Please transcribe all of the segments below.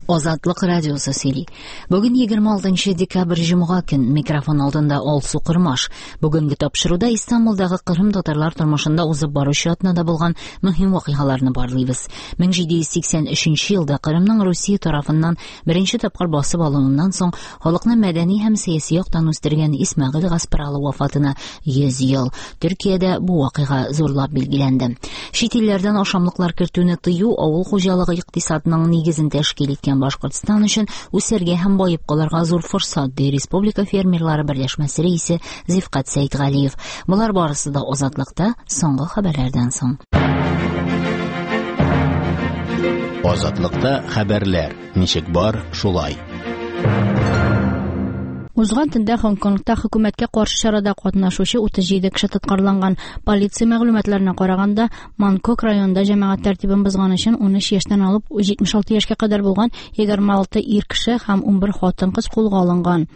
Азатлык радиосы сөйли. Бүген 26 декабрь җомга көн. Микрофон алдында Алсу Кырмаш. Бүгенге тапшыруда Истанбулдагы Кырым татарлар тормышында узып баручы атнада булган мөһим вакыйгаларны барлыйбыз. 1783 елда Кырымның Русия тарафыннан беренче тапкыр басып алынуыннан соң халыкны мәдәни һәм сәяси яктан үстергән Исмәгыйль Гаспралы вафатына 100 ел. Төркиядә бу вакыйга зурлап билгеләнде. Чит илләрдән ашамлыклар кертүне тыю авыл хуҗалыгы икътисадының нигезен тәшкил иткән Башкортстан өчен үсәргә һәм баеп калырга зур форсат, ди Республика фермерлары берләшмәсе рәисе Зифкать Сәйтгалиев. Болар барысы да Азатлыкта соңгы хәбәрләрдән соң. Азатлыкта хәбәрләр ничек бар, шулай. Узган төндә Һонконгта хөкүмәткә каршы чарада катнашучы 37 кеше тоткарланган. Полиция мәгълүматларына караганда, Манкок районында җәмәгать тәртибен бозган өчен 13 яшьтән алып 76 яшькә кадәр булган 26 ир кеше һәм 11 хатын-кыз кулга алынган.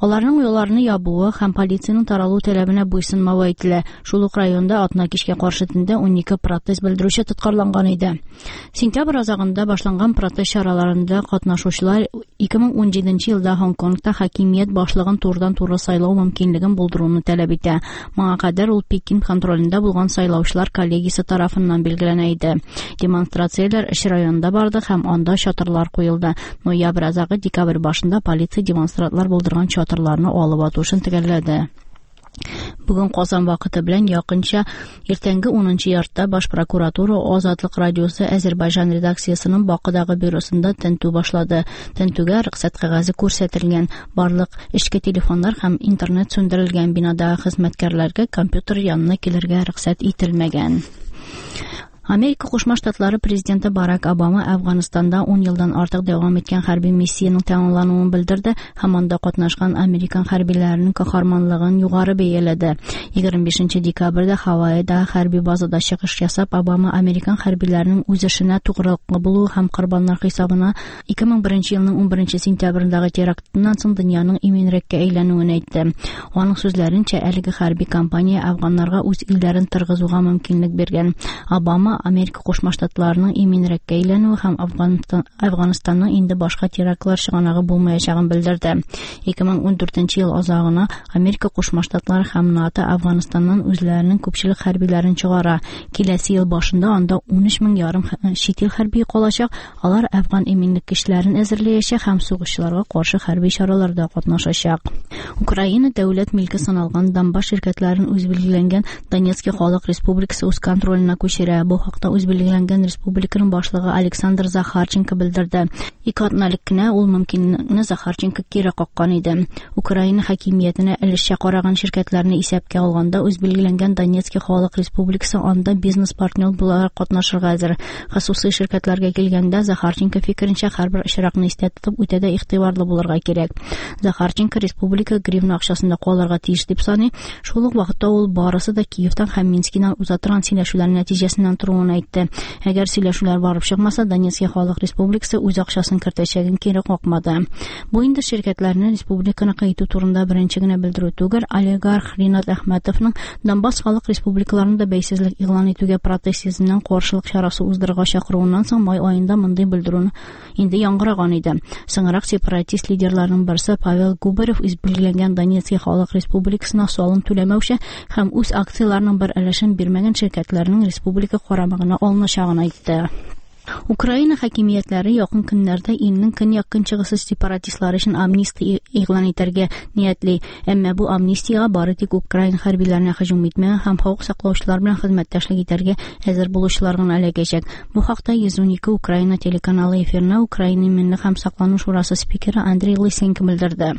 Аларның юлларны ябуы һәм полициянең таралу таләбенә буйсынмавы әйтелә. Шул ук районда атна кичкә каршы төндә 12 протест белдерүче тоткарланган иде. Сентябрь азагында башланган протест чараларында катнашучылар 2017 елда Һонконгта хакимият башлыгын турыдан-туры сайлау мөмкинлеген булдыруны таләп итә. Моңа кадәр ул Пекин контролендә булган сайлаучылар коллегиясе тарафыннан билгеләнә иде. Демонстрацияләр өч районда барды һәм анда чатырлар куелды. Ноябрь азагы декабрь башында полиция демонстрантлар булдырган чатырларны алып ату эшен төгәлләде. Бүген Казан вакыты белән якынча иртәнге 10 яртыда Баш прокуратура Азатлык радиосы Әзербайҗан редакциясенең Бакыдагы бюросында тентү башлады. Тентүгә рөхсәт кәгазе күрсәтелгән. Барлык эчке телефоннар һәм интернет сүндерелгән. Бинадагы хезмәткәрләргә компьютер янына килергә рөхсәт ителмәгән. Америка Кушма Штатлары президенты Барак Обама Әфганстанда 10 елдан артык дәвам иткән хәрби миссиянең тәмамлануын белдерде һәм анда катнашкан американ хәрбиләренең каһарманлыгын югары бәяләде. 25 декабрьдә Хавайда хәрби базада чыгыш ясап, Обама американ хәрбиләренең үз эшенә тугрылыклы булуы һәм корбаннар хисабына 2001 елның 11 сентябрендәге терактыннан соң дөньяның иминрәккә әйләнүен әйтте. Аның сүзләренчә, әлеге хәрби кампания афганнарга үз илләрен торгызуга мөмкинлек биргән. Обама Америка Кушма Штатларының иминрәккә әйләнүе һәм Әфганстанның инде башка терактлар чыганагы булмаячагын белдерде. 2014 ел азагына Америка Кушма Штатлары һәм НАТО Әфганстаннан үзләренең күпчелек хәрбиләрен чыгара. Киләсе ел башында анда 13 мең ярым чит ил хәрбие калачак. Алар Әфган иминлек көчләрен әзерләячәк һәм сугышчыларга каршы хәрби чараларда катнашачак. Украина дәүләт милке саналган Донбасс ширкәтләрен үз билгеләнгән Донецкий халык республикасы үз контроленә күчерә. Бу хакта үз билгеләнгән республиканың башлыгы Александр Захарченко белдерде. Ике атна элек кенә ул мөмкинлекне Захарченко кире каккан иде. Украина хакимиятенә өлешчә караган ширкәтләрне исәпкә алганда үз билгеләнгән Донецкий халык республикасы анда бизнес-партнер буларак катнашырга әзер. Хосусый ширкәтләргә килгәндә, Захарченко фикеренчә, һәрбер очракны истә тотып, үтә дә игътибарлы булырга кирәк. Захарченко республика гривна акчасында калырга тиеш дип саный. Шул ук вакытта ул барысы да Киевтан һәм Минскидан уза торган сөйләшүләр нәтиҗәсеннән торуын әйтте. Әгәр сөйләшүләр барып чыкмаса, Донецкий халык республикасы үз акчасын кертәчәген кире какмады. Бу инде ширкәтләрне республиканыкы итү турында беренче генә белдерү түгел. Олигарх Ринат Әхмәтовның Донбасс халык республикаларында бәйсезлек игълан итүгә протест йөзеннән каршылык чарасы уздырырга чакыруыннан соң май аенда мондый белдерүне инде яңгыраган иде. Соңрак сепаратист лидерларының берсе Павел Губарев үз билгеләнгән Донецкий халык республикасына салым түләмәүче һәм үз акцияләренең бер өлешен бирмәгән ширкәтләрнең республика карамагына алыначагын әйтте. Украина хакимиятләре якын көннәрдә илнең көньяк-көнчыгышы сепаратистлары өчен амнистия игълан итәргә ниятли. Әмма бу амнистиягә бары тик украин хәрбиләренә һөҗүм итмәгән һәм хокук саклаучылар белән хезмәттәшлек итәргә әзер булучылар гына эләгәчәк. Бу хакта 112 Украина телеканалы эфирына Украина иминлек һәм саклану шурасы спикеры Андрей Лысенко белдерде.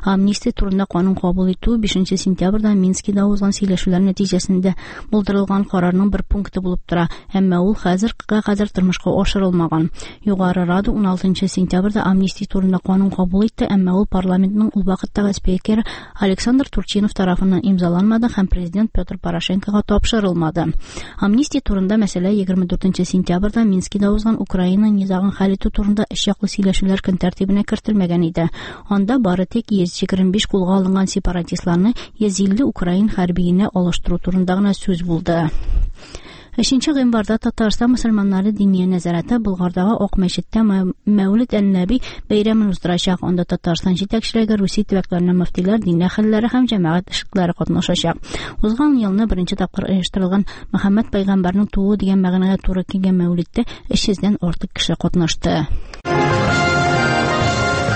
Амнистия турында канун кабул итү 5 сентябрьдә Минскида узган сөйләшүләр нәтиҗәсендә булдырылган карарның бер пункты булып тора, әмма ул хәзергә кадәр тормышка ашырылмаган. Югары Рада 16 сентябрьдә амнистия турында канун кабул итте, әмма ул парламентның ул вакыттагы спикеры Александр Турчинов тарафыннан имзаланмады һәм президент Петр Порошенкога тапшырылмады. Амнистия турында мәсьәлә 24 сентябрьдә Минскида узган Украина низагын хәл итү турында өч яклы сөйләшүләр көн тәртибенә кертелмәгән иде. Анда бары тик 125 кулга алынган сепаратистларны 150 украин хәрбиенә алыштыру турында гына сүз булды. Өченче гыйнварда Татарстан мөселманнары Диния нәзарәте Болгардагы Ак мәчеттә Мәүлид ән-Нәби бәйрәмен уздырачак. Анда Татарстан җитәкчелеге, Русия төбәкләреннән мөфтиләр, дин әһелләре һәм җәмәгать эшлеклеләре катнашачак. Узган елны беренче тапкыр оештырылган Мөхәммәд пәйгамбәрнең тууы дигән мәгънәгә туры килгән Мәүлидтә 300 дән артык кеше катнашты.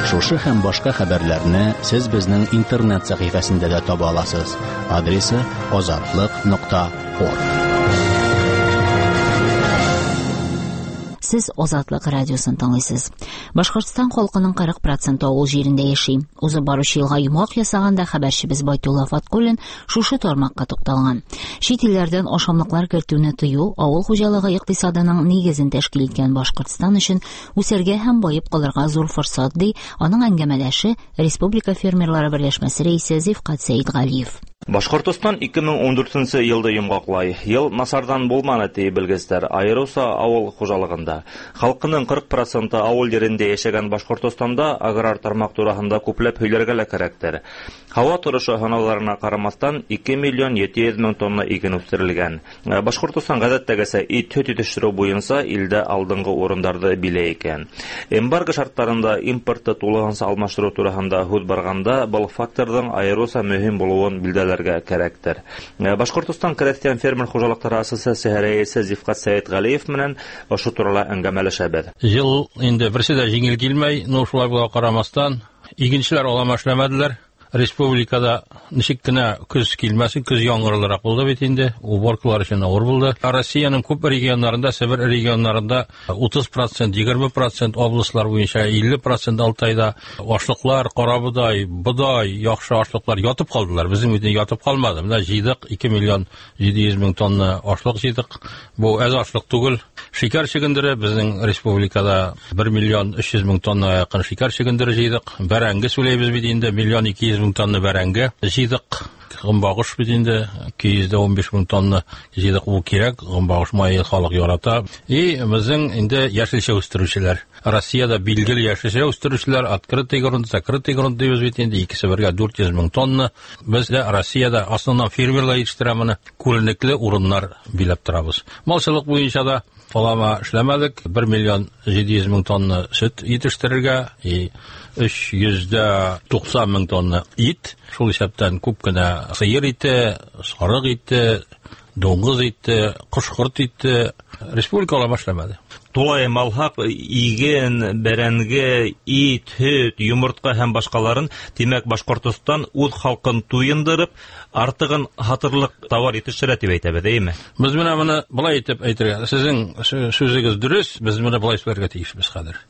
Шушы һәм башка хәбәрләрне сез безнең интернет сәхифәсендә дә таба аласыз. Адресы azatliq.org. Сез Азатлык радиосын тыңлыйсыз. Башкортстан халкының 40 проценты авыл җирендә яши. Узып баручы елга йомгак ясаганда хәбәрчебез Байтулла Фаткуллин шушы тармакка тукталган. Чит илләрдән ашамлыклар кертүне тыю авыл хуҗалыгы икътисадының нигезен тәшкил иткән Башкортстан өчен үсәргә һәм баеп калырга зур форсат, ди аның әңгәмәдәше Республика фермерлары берләшмәсе рәисе Зифкат Сәидгалиев. Башҡортостан 2014 йылды йомғаҡлай. Йыл насарҙан булманы, ти белгестәр, айырыуса ауыл хужалығында. Халҡының 40% ауыл ерендә йәшәгән Башҡортостанда аграр тармаҡ тураһында күпләп һөйләргә лә кәрәктер. Һауа торошо һынауҙарына ҡарамаҫтан 2 миллион 700 мең тонна иген үҫтерелгән. Башҡортостан ғәҙәттәгесә ит, һөт етештереү буйынса илдә алдынғы урындарҙы биләй икән. Эмбарго шарттарында импортты тулыһынса алмаштырыу тураһында һүҙ барғанда был факторҙың айырыуса мөһим булыуын билдәләргә кәрәктер. Башҡортостан крәҫтиән фермер хужалыҡтары ассоциацияһы рәйесе Зифҡат Сәйетғәлиев менән ошо турала әңгәмәләшәбеҙ. Йыл инде берсе дә җиңел килмәй, но шулай була ҡарамаҫтан, игенселәр алама эшләмәделәр. Республикада ничек кенә көз килмәсен, көз яңгырлырак булды бит инде, уборкалар өчен авыр булды. Россиянең күп регионнарында, Себер регионнарында 30%, 20% областлар буенча 50% Алтайда ашлыклар, карабодай, бодай, яхшы ашлыклар ятып калдылар. Безнең бит ятып калмады. Менә җыйдык 2 миллион 700 мең тонна ашлык җыйдык. Бу әз ашлык түгел. Шикәр чөгендере безнең республикада 1 миллион 300 мең тонна якын шикәр чөгендере җыйдык. Бәрәңге сүләйбез бит инде, миллион 200 мең тонна бәрәңге җыйдык. Гомбагыш бит инде 215 мең тонна җыйдык, ул кирәк, гомбагыш мае халык ярата. И безнең инде яшелчә үстерүчеләр. Россиядә билгеле яшелчә үстерүчеләр, открытый грунт, закрытый грунт дибез бит инде, икесе бергә 400 мең тонна. Без дә Россиядә основном фермерлар җитештерә моны, күренекле урыннар биләп торабыз. Малчылык буенча да алама эшләмәдек, 1 миллион 700 мең тонна сөт җитештерергә, и 390 мең тонна ит, шул исәптән күп кенә сыер ите, сарык ите, дуңгыз ите, кош-корт ите республика алама эшләмәде. Тулайым алһаҡ, иген, бәрәңге, ит, һөт, йомортҡа һәм башҡаларын, тимәк, Башҡортостан үҙ халҡын туйындырып, артығын һатырлыҡ тауар етештерә тип әйтәбеҙ, эйме? Беҙ менә быны былай итеп әйтергә, һеҙҙең сүҙегеҙ дөрөҫ, беҙ быны былай һөйләргә тейешбеҙ хәҙер.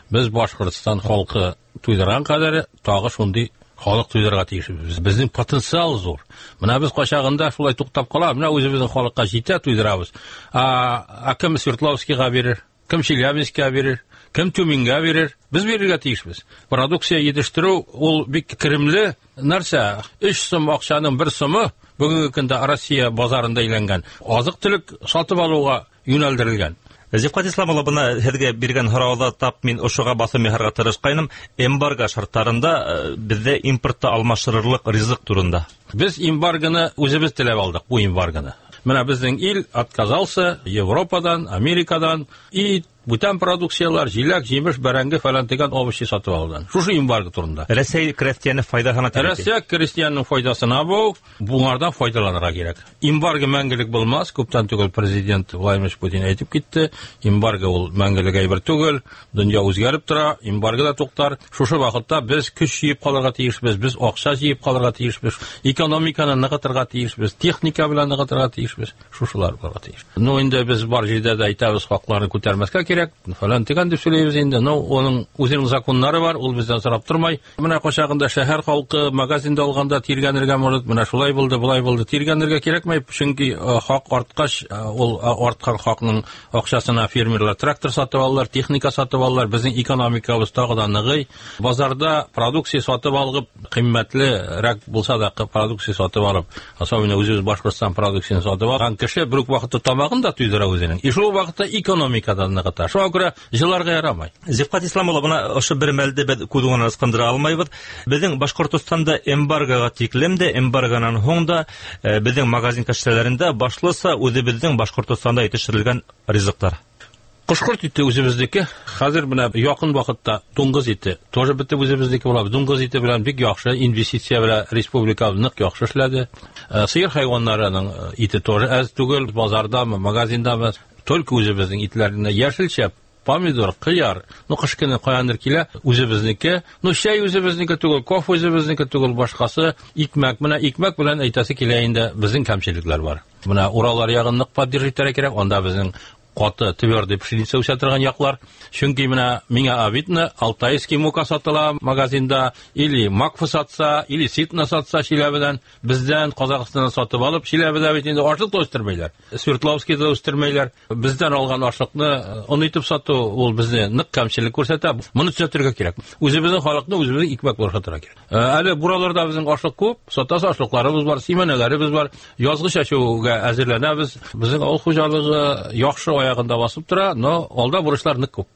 Беҙ Башҡортостан халҡы туйҙырған ҡәҙәре тағы шундай халыҡ туйҙырырға тейешбеҙ. Беҙҙең потенциал ҙур. Бына беҙ ҡайсағында шулай туҡтап ҡала, бына үҙебеҙҙең халыҡҡа етә туйҙырабыҙ. А кем Свердловскийға бирер, кем Челябинскийға бирер, кем Тюменгә бирер, беҙ бирергә тейешбеҙ. Продукция етештереү ул бик керемле нәрсә. 3 сум аҡсаның 1 сумы бөгөнгө көндә Россия базарында әйләнгән. Аҙыҡ-түлек сатып алыуға йүнәлдерелгән. Зифҡат Ислам улы, бына һеҙгә биргән һорауҙа тап мин ошоға баҫым яһарға тырышҡайным. Эмбарго шарттарында беҙҙә импортты алмаштырырлыҡ ризыҡ турында. Беҙ эмбаргоны үҙебеҙ теләп алдыҡ, бу эмбаргоны. Бына беҙҙең ил отказался Европадан, Америкадан, ит, бүтән продукциялар, жиләк, жемеш, бәрәңге фәлән тигән овощи сатып алудан. Шушы эмбарго турында. Рәсәй крәҫтиәне файҙаһына тип әйтә. Рәсәй крәҫтиәненең файҙасына бу, буңардан файҙаланырға кәрәк. Эмбарго мәңгелек булмаҫ, күптән түгел президент Владимир Путин әйтеп китте. Эмбарго ул мәңгелек әйбер түгел, донъя үзгәреп тора, эмбарго да туҡтар. Шушы ваҡытта беҙ көс йыйып ҡалырға тейешбеҙ, беҙ аҡса йыйып ҡалырға тейешбеҙ, экономиканы нығытырға тейешбеҙ, техника белән нығытырға тейешбеҙ, шушылар булырға тейеш. Ну, инде беҙ бар җирдә дә әйтәбеҙ, хаҡларны күтәрмәҫкә кәрәк, фәлән тигән дип сөйләйбеҙ инде. Ну, уның үзенең законнары бар, ул беҙҙән сорап тормай. Менә ҡайсағында шәһәр халҡы магазинда алғанда тиргәнергә мөрәт, менә шулай булды, былай булды, тиргәнергә кәрәкмәй, чөнки хаҡ артҡас, ул артҡан хаҡның аҡсасына фермерлар трактор сатып алалар, техника сатып алалар, беҙҙең экономикабыҙ тағы да нығый. Базарда продукция сатып алып, ҡиммәтлерәк булһа да продукция сатып алып, особенно үҙебеҙ Башҡортостан продукцияһын сатып алған кеше бер үк ваҡытта тамағын да туйҙыра үҙенең. И шул ваҡытта экономика да нығыта. Шуңа күрә җыларга ярамай. Зифкат Ислам улы, бына ошо бер мәлде беҙ күҙ уңынан ысҡындыра алмайбыҙ. Беҙҙең Башҡортостанда эмбаргоға тиклем дә, эмбаргонан һуң да беҙҙең магазин кәштәләрендә башлыса үҙебеҙҙең Башҡортостанда етештерелгән ризыҡтар. Ҡош-ҡорт ите үҙебеҙҙеке. Хәҙер бына яҡын ваҡытта дуңғыҙ ите тоже бөтөп үҙебеҙҙеке була. Дуңғыҙ ите белән бик яҡшы инвестиция белән республика ныҡ яҡшы эшләде. Сыйыр хайуаннарының ите тоже әҙ түгел, базардамы, магазиндамы, только үҙебеҙҙең итләренә йәшелсә, помидор, ҡыяр, ну ҡыш көнө ҡаяндыр килә, үҙебеҙҙеке. Ну чәй үҙебеҙҙеке түгел, кофе үҙебеҙҙеке түгел, башҡасы икмәк. Бына икмәк белән әйтәсе килә инде, беҙҙең кәмселектәр бар. Бына Ураллар яғын ныҡ поддерживать итергә кәрәк, унда беҙҙең ҡаты твердый пшеница үҫә торған яҡлар. Сөнки бына миңә обидно, алтайский мука сатыла магазинда, или макфа сатса, или ситна сатса Чиләбедән, беҙҙән Ҡаҙағстандан сатып алып, Чиләбедә бит инде ашлыҡ та үҫтермәйләр, Свердловскийҙа үҫтермәйләр. Беҙҙән алған ашлыҡны он итеп сатыу ул беҙҙе ныҡ кәмселек күрһәтә. Моны төҙәтергә кәрәк. Үҙебеҙҙең халыҡны үҙебеҙҙең икмәк белән ашатырға кәрәк. Әле бураларда беҙҙең ашлыҡ күп, сатасы ашлыҡларыбыҙ бар, симәнәләребеҙ бар. Язғы сәсеүгә әҙерләнәбеҙ. Беҙҙең ауыл хужалығы яҡшы аяғында басып тора, но алда бурышлар ныҡ күп.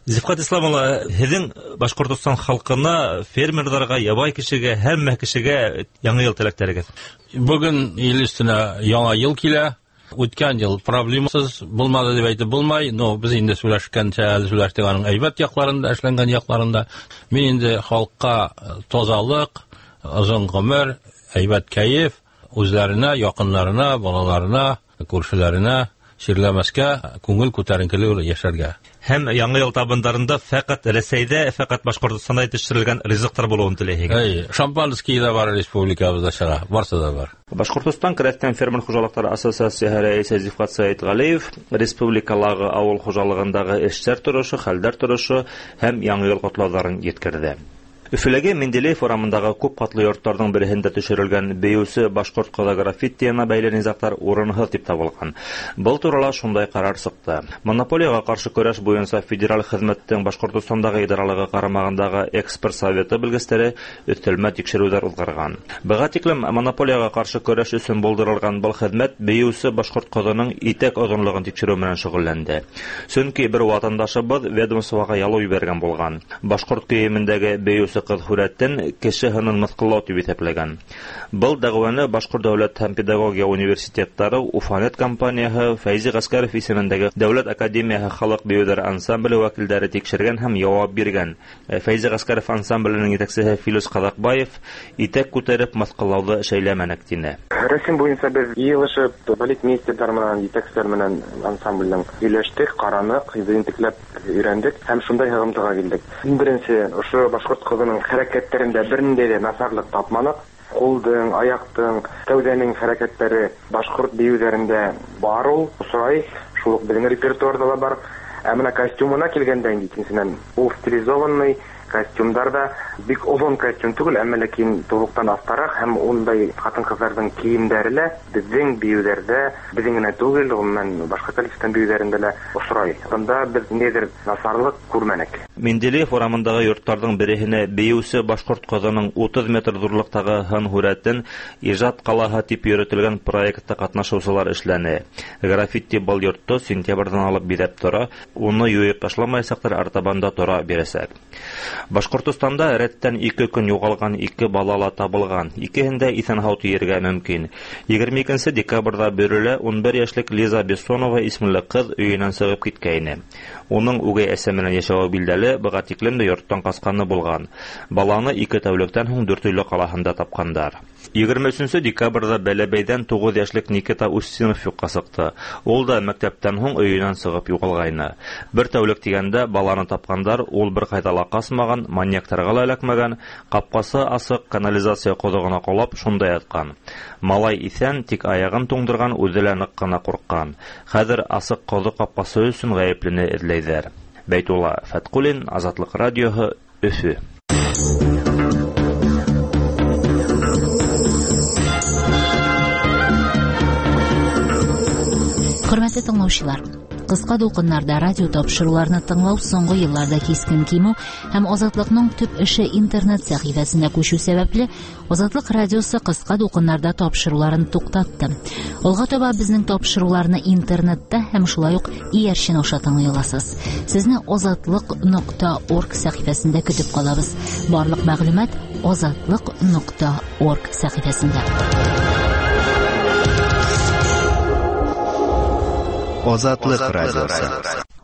Зифҡат Ислам улы, һеҙҙең Башҡортостан халҡына, фермерҙарға, ябай кешегә, һәммә кешегә яңы йыл теләктәрегеҙ? Бөгөн ил өҫтөнә яңы йыл килә. Үткән йыл проблемасыз булмады тип әйтеп булмай, но беҙ инде һөйләшкәнсә әле һөйләштек аның әйбәт яҡларында, эшләнгән яҡларында. Мин инде халҡҡа тазалыҡ, оҙон ғүмер, әйбәт кәйеф, үҙләренә, яҡындарына, балаларына, күршеләренә сирләмәскә, күңел күтәренкелеге йәшәргә. Һәм яңы йыл табындарында фәҡәт Рәсәйҙә, фәҡәт Башҡортостанда етештерелгән ризыҡтар булыуын теләйһегеҙ. Эй, шампанский ҙа бар республикабыҙҙа сыға, барсы ҙа бар. Башҡортостан Крәҫтиән фермер хужалыҡтары ассоциацияһы рәйесе Зифҡат Сәйетғәлиев республикалағы ауыл хужалығындағы эштәр торошо, хәлдәр торошо һәм яңы йыл ҡотлауҙарын еткерҙе. Өфөләге Менделеев урамындағы күп ҡатлы йорттарҙың береһендә төшөрөлгән бейеүсе башҡорт ҡыҙы граффитиына бәйле низағтар урынһыҙ тип табылған. Был турала шундай ҡарар сыҡты. Монополияға ҡаршы көрәш буйынса федераль хеҙмәттең Башҡортостандағы идаралығы ҡарамағындағы эксперт советы белгестәре өҫтәлмә тикшереүҙәр уҙғарған. Быға тиклем монополияға ҡаршы көрәш өсөн булдырылған был хеҙмәт бейеүсе башҡорт ҡыҙының итәк оҙонлоғон тикшереү менән шөғөлләнде. Сөнки бер ватандашыбыҙ ведомствоға ялыу ебәргән булған. Башҡорт кейемендәге бейеүсе ҡыҙ һүрәтен кеше һынын мыҫҡыллау тип иҫәпләгән. Был дәғүәне Башҡорт дәүләт һәм педагогия университеттары, Уфанет компанияһы, Фәйзи Ғәскәров исемендәге Дәүләт академияһы халыҡ бейеүҙәре ансамбле вәкилдәре тикшергән һәм яуап биргән. Фәйзи Ғәскәров ансамбленең етәксеһе Филүс Ҡаҙаҡбаев итәк күтәреп мыҫҡыллауҙы шәйләмәнек тине. Рәсем буйынса беҙ йыйылышып, балетмейстерҙар менән, етәкселәр менән ансамблдең һөйләштек, ҡараныҡ, ентекләп өйрәндек һәм шундай һығымтыға килдек. Иң беренсе, ошо башҡорт ҡыҙының хәрәкәттәрендә бер ниндәй ҙә насарлыҡ тапманыҡ. Ҡулдың, аяҡтың, кәүҙәнең хәрәкәттәре башҡорт бейеүҙәрендә бар ул, осрай, шул уҡ беҙҙең репертуарҙа ла бар. Ә бына костюмына килгәндә инде икенсенән, ул стилизованный костюмдар да бик оҙон костюм түгел, әммә ләкин тубыҡтан аҫтараҡ һәм ундай ҡатын-ҡыҙҙарҙың кейемдәре лә беҙҙең бейеүҙәрҙә, беҙҙең генә түгел, ғөмүмән башҡа коллективтың бейеүҙәрендә лә осрай. Бында беҙ ниндәйҙер насарлыҡ күрмәнек. Менделеев урамындағы йорттарҙың береһенә бейеүсе башҡорт ҡыҙының 30 метр ҙурлыҡтағы һын һүрәтен Ижад ҡалаһы тип йөрөтөлгән проектта ҡатнашыусылар эшләне. Граффити был йортто сентябрҙән алып биҙәп тора, уны юйып ташламаясаҡтар, артабан да тора бирәсәк. Башҡортостанда рәттән 2 көн юғалған 2 бала ла табылған. Икеһен дә иҫән-һау тиергә мөмкин. 22 декабрҙа Бөрөлә 11 йәшлек Лиза Бессонова исемле ҡыҙ өйөнән сығып киткәйне. Уның үгәй әсә менән йәшәүе билдәле, быға тиклем дә йорттан ҡасҡаны булған. Баланы 2 тәүлектән һуң Дүртөйлө ҡалаһында тапҡандар. 23 декабрҙа Бәләбәйҙән 9 йәшлек Никита Устинов юҡҡа сыҡты. Ул да мәктәптән һуң өйөнән сығып юғалғайны. Бер тәүлек тигәндә баланы тапҡандар, ул бер ҡайҙа ла ҡасмаған, маньяктарға ла эләкмәгән, ҡапҡасы асыҡ, канализация ҡоҙоғона ҡолап шунда ятҡан. Малай иҫән, тик аяғын туңдырған, үҙе лә ныҡ ҡына ҡурҡҡан. Хәҙер асыҡ ҡоҙоҡ ҡапҡасы өсөн ғәйеплене эҙләйҙәр. Бәйтулла Фәтҡуллин, Азатлыҡ радиоһы, Өфө. Хөрмәтле тыңлаучылар, Кыска дулкыннарда радио тапшыруларны тыңлау соңгы елларда кискен кимү һәм Азатлыкның төп эше интернет сәхифәсенә күчү сәбәпле, Азатлык радиосы кыска дулкыннарда тапшыруларын туктатты. Алга таба безнең тапшыруларны интернетта һәм шулай ук иярчен аша тыңлый аласыз. Сезне azatliq.org сәхифәсендә көтеп калабыз. Барлык мәгълүмат azatliq.org сәхифәсендә. Азатлык радиосы.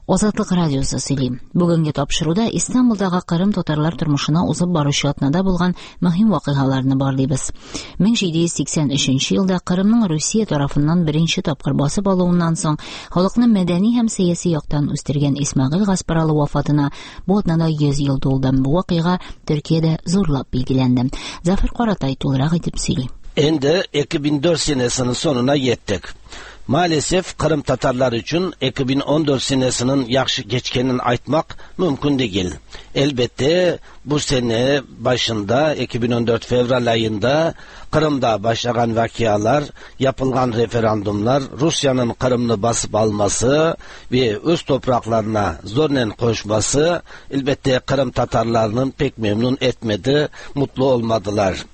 Азатлык радиосы сөйли. Бүгенге тапшыруда Истанбулдагы Кырым татарлар тормышына узып баручы атнада булган мөһим вакыйгаларны барлыйбыз. 1783 елда Кырымның Русия тарафыннан беренче тапкыр басып алуыннан соң халыкны мәдәни һәм сәяси яктан үстергән Исмәгыйль Гаспаралы вафатына бу атнада 100 ел тулды. Бу вакыйга Төркиядә зурлап билгеләнде. Зафар Каратай тулырак итеп сөйли. Endi 2004 senesinin sonuna yettik. Maalesef Kırım Tatarlar için 2014 senesinin yaxşı geçkenini aytmak mümkün değil. Elbette bu sene başında 2014 fevral ayında Kırım'da başlayan vakialar, yapılan referandumlar, Rusya'nın Kırım'ını basıp alması ve öz topraklarına zorla koşması elbette Kırım Tatarlarının pek memnun etmedi, mutlu olmadılar.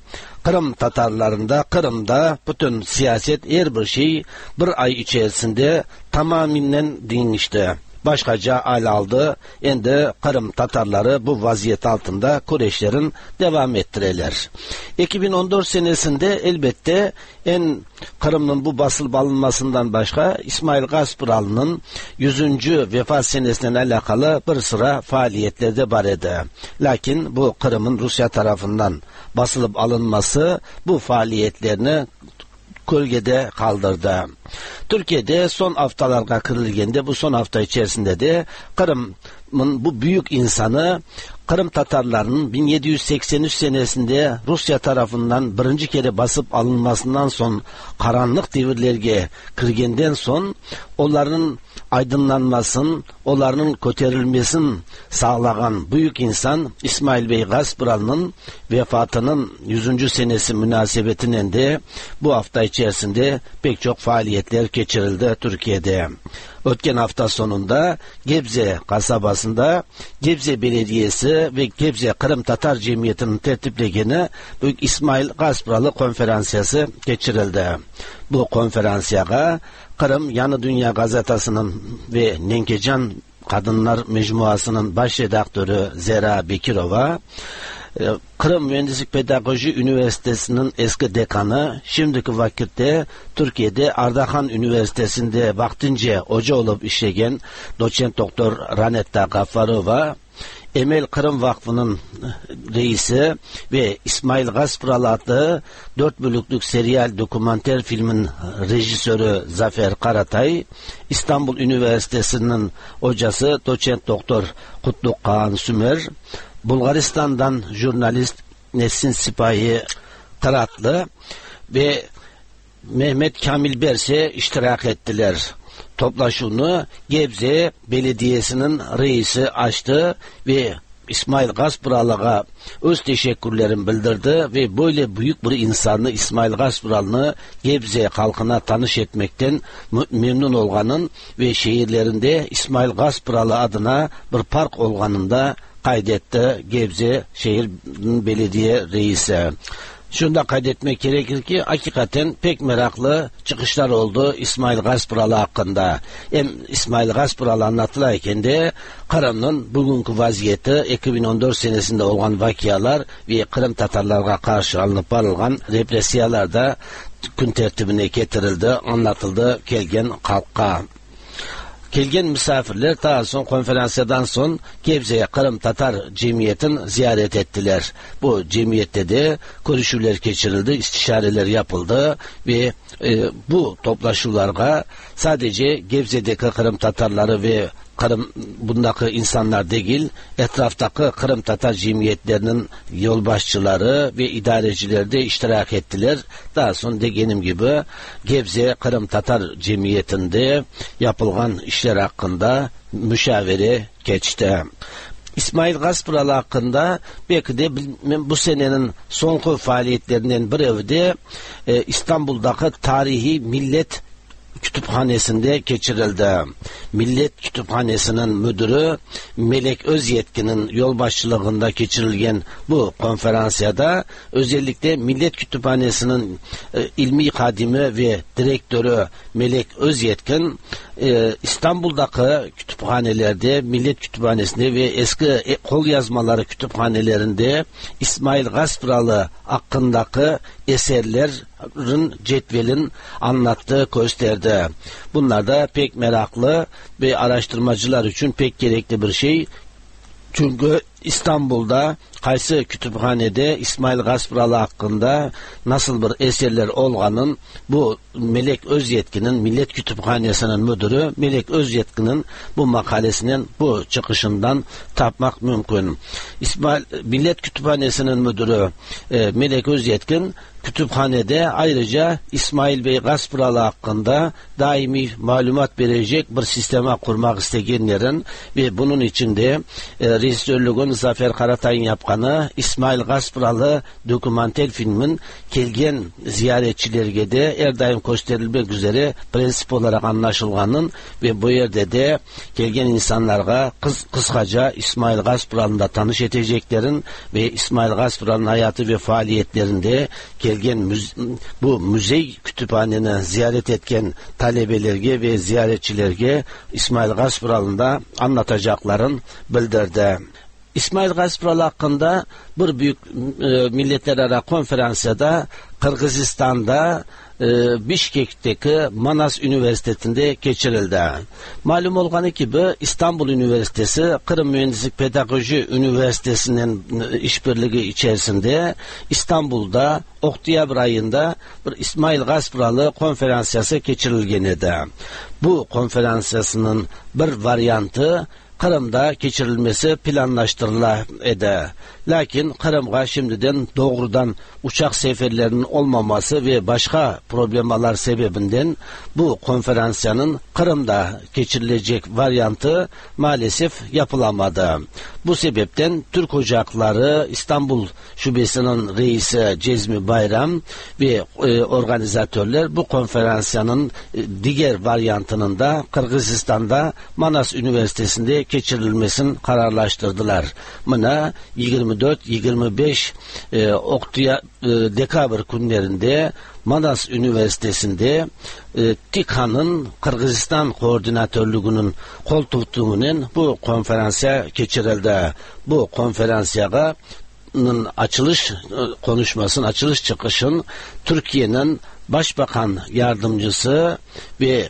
Kırım Tatarlarında, Kırım'da bütün siyaset her bir şey bir ay içerisinde tamamen değişti. Başkaca hal aldı. Endi Kırım Tatarları bu vaziyet altında kureşlerin devam ettireler. 2014 senesinde elbette en Kırım'ın bu basılıp alınmasından başka İsmail Gaspıralı'nın 100. vefat senesiyle alakalı bir sıra faaliyetler de var idi. Lakin bu Kırım'ın Rusya tarafından basılıp alınması bu faaliyetlerini gölgede kaldırdı. Türkiye'de son haftalara kırılgende bu son hafta içerisinde de Kırım'ın bu büyük insanı Kırım Tatarlarının 1783 senesinde Rusya tarafından birinci kere basıp alınmasından son karanlık devirlerge kirgenden son onların aydınlanmasın, onların köterilmesini sağlayan büyük insan İsmail Bey Gaspıralı'nın vefatının 100. senesi münasebetiyle de bu hafta içerisinde pek çok faaliyetler geçirildi Türkiye'de. Ötken hafta sonunda Gebze kasabasında Gebze Belediyesi ve Gebze Kırım Tatar Cemiyeti'nin tertiplegeni Büyük İsmail Gaspıralı konferansiyası geçirildi. Bu konferansiyaya Kırım Yanı Dünya Gazetası'nın ve Nenkecan Kadınlar Mecmuası'nın baş redaktörü Zera Bekirova, Kırım Mühendislik Pedagoji Üniversitesi'nin eski dekanı, şimdiki vakitte Türkiye'de Ardahan Üniversitesi'nde vaktince hoca olup işleyen doçent doktor Ranetta Gaffarova, Emel Kırım Vakfı'nın reisi ve İsmail Gaspıralı adlı 4 bölüklük serial dokumenter filmin rejisörü Zafer Karatay, İstanbul Üniversitesi'nin hocası doçent doktor Kutluk Kaan Sümer, Bulgaristan'dan jurnalist Nesin Sipahi Kıratlı ve Mehmet Kamil Berse iştirak ettiler. Toplaşını Gebze Belediyesi'nin reisi açtı ve İsmail Gaspıralı'ya öz teşekkürlerini bildirdi ve böyle büyük bir insanı İsmail Gaspıralı'nı Gebze halkına tanış etmekten memnun olganın ve şehirlerinde İsmail Gaspıralı adına bir park olganında kaydetti Gebze Şehir Belediye Reisi. Şunu da kaydetmek gerekir ki hakikaten pek meraklı çıkışlar oldu İsmail Gaspıralı hakkında. Hem İsmail Gaspıralı anlatılarken de Kırım'ın bugünkü vaziyeti 2014 senesinde olan vakialar ve Kırım Tatarlara karşı alınıp varılan represiyalar da gün tertibine getirildi, anlatıldı kelgen halka. Kelgen misafirler daha son konferansiyadan son Gebze'ye Kırım Tatar Cemiyeti'ni ziyaret ettiler. Bu cemiyette de görüşüler geçirildi, istişareler yapıldı ve bu toplaşılarga sadece Gebze'deki Kırım Tatarları ve Kırım bundaki insanlar değil, etraftaki Kırım Tatar cemiyetlerinin yolbaşçıları ve idarecileri de iştirak ettiler. Daha sonra dediğim gibi Gebze Kırım Tatar Cemiyeti'nde yapılan işler hakkında müşavere geçti. İsmail Gaspıralı hakkında belki de bu senenin son faaliyetlerinden biri de İstanbul'daki tarihi millet Kütüphanesi'nde geçirildi. Millet Kütüphanesi'nin müdürü Melek Özyetkin'in yolbaşçılığında geçirilgen bu konferansiyada özellikle Millet Kütüphanesi'nin ilmi hadimi ve direktörü Melek Özyetkin İstanbul'daki kütüphanelerde, Millet Kütüphanesi'nde ve eski kol yazmaları kütüphanelerinde İsmail Gaspıralı hakkındaki eserlerin cetvelin anlattığı gösterdi. Bunlar da pek meraklı ve araştırmacılar için pek gerekli bir şey. Çünkü İstanbul'da Kaysı Kütüphane'de İsmail Gaspıralı hakkında nasıl bir eserler olganın bu Melek Özyetkin'in, Millet Kütüphanesi'nin müdürü Melek Özyetkin'in bu makalesinin bu çıkışından tapmak mümkün. İsmail Millet Kütüphanesi'nin müdürü Melek Özyetkin kütüphanede ayrıca İsmail Bey Gaspıralı hakkında daimi malumat verecek bir sisteme kurmak isteyenlerin ve bunun içinde rejisörlüğün Zafer Karatay'ın yapkanı İsmail Gaspıralı dokumentel filmin kelgen ziyaretçilerge de her daim gösterilmek üzere prensip olarak anlaşılganın ve bu yerde de kelgen insanlara kıskaca İsmail Gaspıralı'nda tanış edeceklerin ve İsmail Gaspıralı'nın hayatı ve faaliyetlerinde kelgen bu müze kütüphaneni ziyaret etken talebelerge ve ziyaretçilerge İsmail Gaspıralı'nda anlatacakların bildirdi. İsmail Gaspıralı hakkında bir büyük milletler ara konferansiyada Kırgızistan'da Bişkek'teki Manas Üniversitesi'nde geçirildi. Malum olganı gibi İstanbul Üniversitesi Kırım Mühendislik Pedagoji Üniversitesi'nin işbirliği içerisinde İstanbul'da Oktyabr ayında bir İsmail Gaspıralı konferansiyası geçirilgen idi. Bu konferansiyasının bir varyantı Kırım'da geçirilmesi planlaştırıla edi. Lakin Kırım'a şimdiden doğrudan uçak seferlerinin olmaması ve başka problemalar sebebinden bu konferansiyanın Kırım'da geçirilecek varyantı maalesef yapılamadı. Bu sebepten Türk Ocakları İstanbul Şubesi'nin reisi Cezmi Bayram ve organizatörler bu konferansiyanın diğer varyantının da Kırgızistan'da Manas Üniversitesi'nde geçirilmesini kararlaştırdılar. Buna 24-25 Dekabr günlerinde Manas Üniversitesi'nde TİKA'nın Kırgızistan koordinatörlüğünün kol tuttuğunun bu konferansiya geçirildi. Bu konferansiyaga açılış konuşmasının, açılış çıkışın Türkiye'nin Başbakan Yardımcısı ve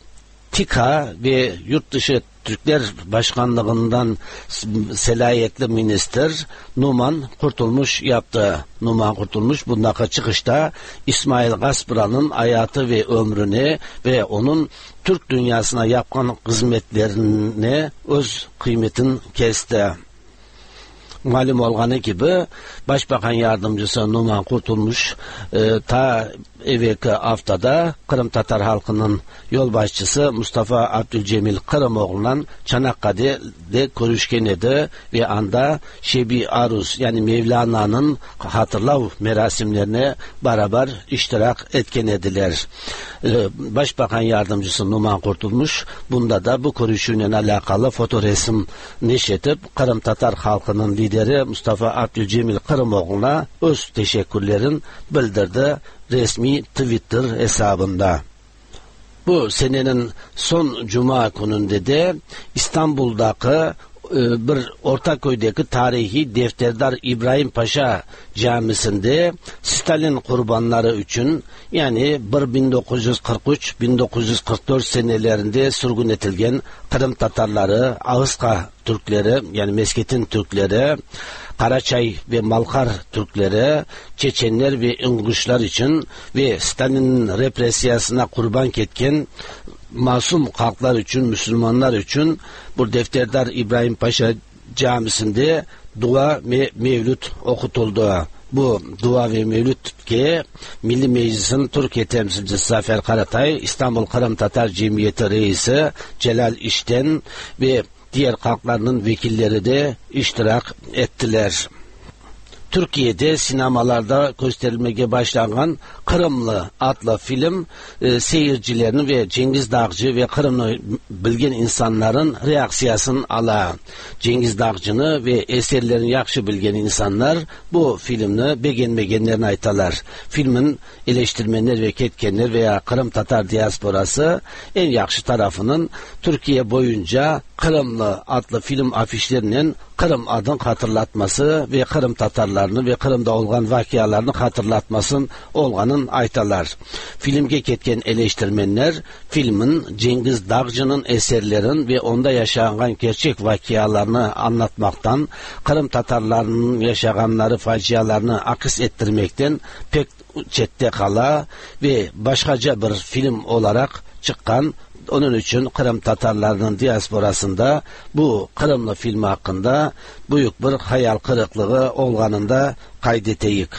TİKA ve Yurtdışı Türkler Başkanlığından selayetli minister Numan Kurtulmuş yaptı. Numan Kurtulmuş bundaki çıkışta İsmail Gaspıralı'nın hayatı ve ömrünü ve onun Türk dünyasına yapılan hizmetlerini öz kıymetin kesti. Malum olganı gibi Başbakan Yardımcısı Numan Kurtulmuş ta evvelki haftada Kırım Tatar halkının yolbaşçısı Mustafa Abdülcemil Kırımoğlu'ndan Çanakkale'de görüşken idi ve anda Şebi Aruz yani Mevlana'nın hatırlav merasimlerine beraber iştirak etken ediler. Başbakan Yardımcısı Numan Kurtulmuş bunda da bu görüşüyle alakalı fotoresim neşretip Kırım Tatar halkının lideri Mustafa Abdülcemil Kırımoğlu'na öz teşekkürlerini bildirdi resmi Twitter hesabında. Bu senenin son cuma gününde de İstanbul'daki bir Ortaköy'deki tarihi Defterdar İbrahim Paşa Camisi'nde Stalin kurbanları için yani 1943-1944 senelerinde sürgün edilgen Kırım Tatarları, Ağızka Türkleri yani Mesketin Türkleri, Karaçay ve Malkar Türkleri, Çeçenler ve İnguşlar için ve Stalin'in represiyasına kurban ketken masum halklar için, Müslümanlar için bu Defterdar İbrahim Paşa Camisi'nde dua ve mevlüt okutuldu. Bu dua ve mevlüt ki Milli Meclis'in Türkiye temsilcisi Zafer Karatay, İstanbul Kırım Tatar Cemiyeti Reisi Celal İşten ve diğer halklarının vekilleri de iştirak ettiler. Türkiye'de sinemalarda gösterilmeye başlanan Kırımlı adlı film seyircilerini ve Cengiz Dağcı ve Kırımlı bilgen insanların reaksiyasını ala. Cengiz Dağcı'nı ve eserlerini yaxşı bilgen insanlar bu filmni beğenmegenlerini aytalar. Filmin eleştirmenler ve ketkenler veya Kırım Tatar diasporası en yaxşı tarafının Türkiye boyunca Kırımlı adlı film afişlerinin Kırım adın hatırlatması ve Kırım Tatarlarını ve Kırım'da olgan vakiyalarını hatırlatmasın olganın aytalar. Filmge ketken eleştirmenler filmin Cengiz Dağcı'nın eserlerin ve onda yaşanan gerçek vakiyalarını anlatmaktan, Kırım Tatarlarının yaşaganları facialarını akis ettirmekten pek çette kala ve başkaca bir film olarak çıkan. Onun için Kırım Tatarlarının diasporasında bu Kırımlı filmi hakkında büyük bir hayal kırıklığı olganında kaydeteyik.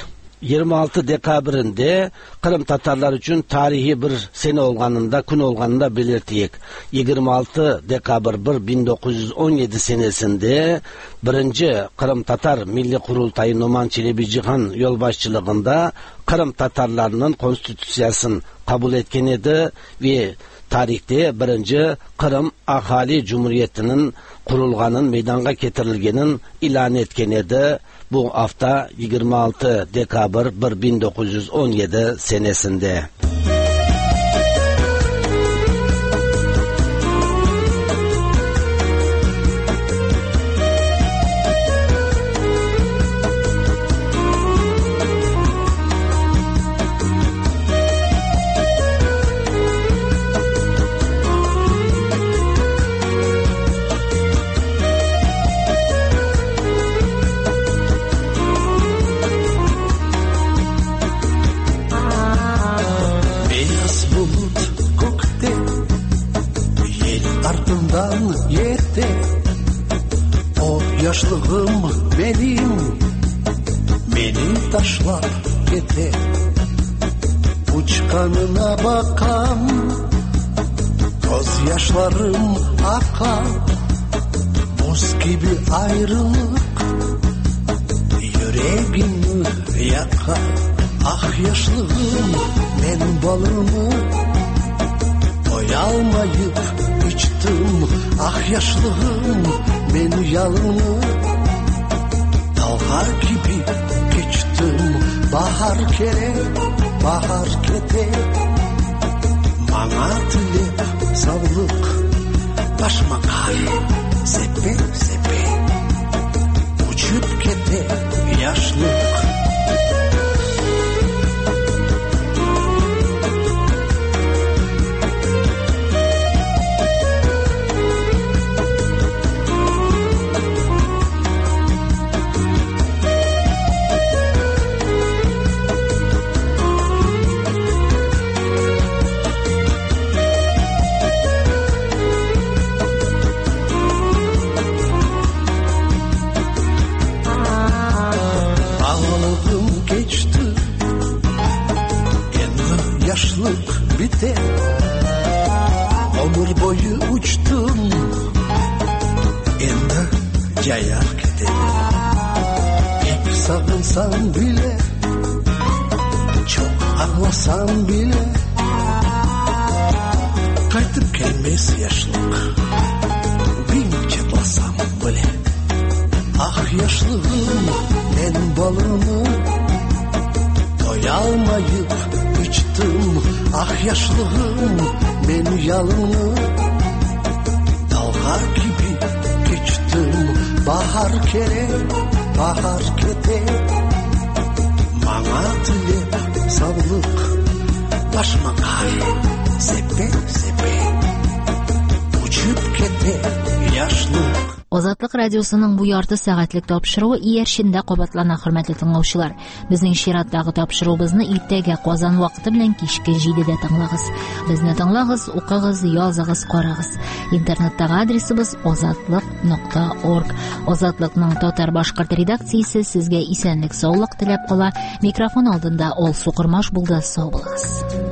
26 dekabrinde Kırım Tatarlar için tarihi bir sene olganında, gün olganında belirteyik. 26 dekabr 1917 senesinde 1. Kırım Tatar Milli Kurultayı Numan Çelebicihan yolbaşçılığında Kırım Tatarlarının konstitüsiyasını kabul etken edi ve tarihte 1. Kırım Ahali Cumhuriyeti'nin kurulganın meydanga getirilgenin ilan etken edi. Bu hafta 26 dekabr 1917 senesinde. Yaşlığım benim, beni taşlap kete. Uçkanına bakan, gözyaşlarım akar. Buz gibi ayrılık, yüreğimi yakar. Ah yaşlığım, ben balımı doyalmayıp içtim. Ah yaşlığım, ben yalını dalga gibi geçtim. Bahar kere, bahar kete, bana tilep savlık. Başıma kar sepe sepe, uçup kete yaşlık. Biter. Ömür boyu uçtum, endi cayar gider. Pek sağınsam bile, çok ağlasam bile, qaytib kelmez yaşlık, bin çatlasam bile. Ah yaşlığım, ben balımı doyalmayıp içtim. Ah yaşlığım, ben yalını dalga gibi geçtim. Bahar kere, bahar kete, bana tilep savlık. Başıma kar sepe sepe, uçup kete yaşlık. Азатлык радиосының бу ярты сәгатьлек тапшыруы иярчендә кабатлана, хөрмәтле тыңлаучылар. Безнең чираттагы тапшыруыбызны иртәгә Казан вакыты белән кичке 7-дә тыңлагыз. Безне тыңлагыз, укыгыз, языгыз, карагыз. Интернеттагы адресыбыз azatliq.org. Азатлыкның татар башкорт редакциясе сезгә исәнлек, саулык теләп кала. Микрофон алдында Алсу Кормаш булды. Сау булыгыз.